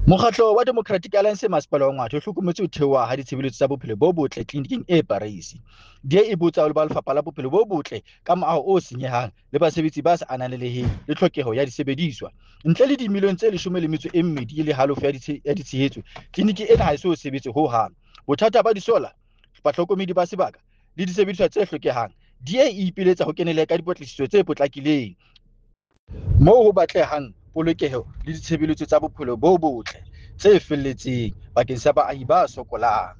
Mokgatlo wa Democratic Alliance Masepala wa Ngwathe o hlokometse ho theoha ha ditshebeletso tsa bophelo bo botle tleliniking e Parys. DA e botsa ba Lefapha la Bophelo bo Botle ka moaho o senyehang le basebetsi ba sa ananeleheng le tlhokeho ya disebediswa. Ntle le dimilione tse 12 le halofo ya ditshehetso, tleliniki ena ha e so sebetse ho hang. Bothata ba disola, bahlokomedi ba sebaka le disebediswa tse hlokehang, DA e ipiletsa ho kenelle ka dipatlisiso tse potlakileng moo ho batlehang polokeho le ditshebeletso tsa bophelo bo botle tse felletseng bakeng sa baahi ba sokolang.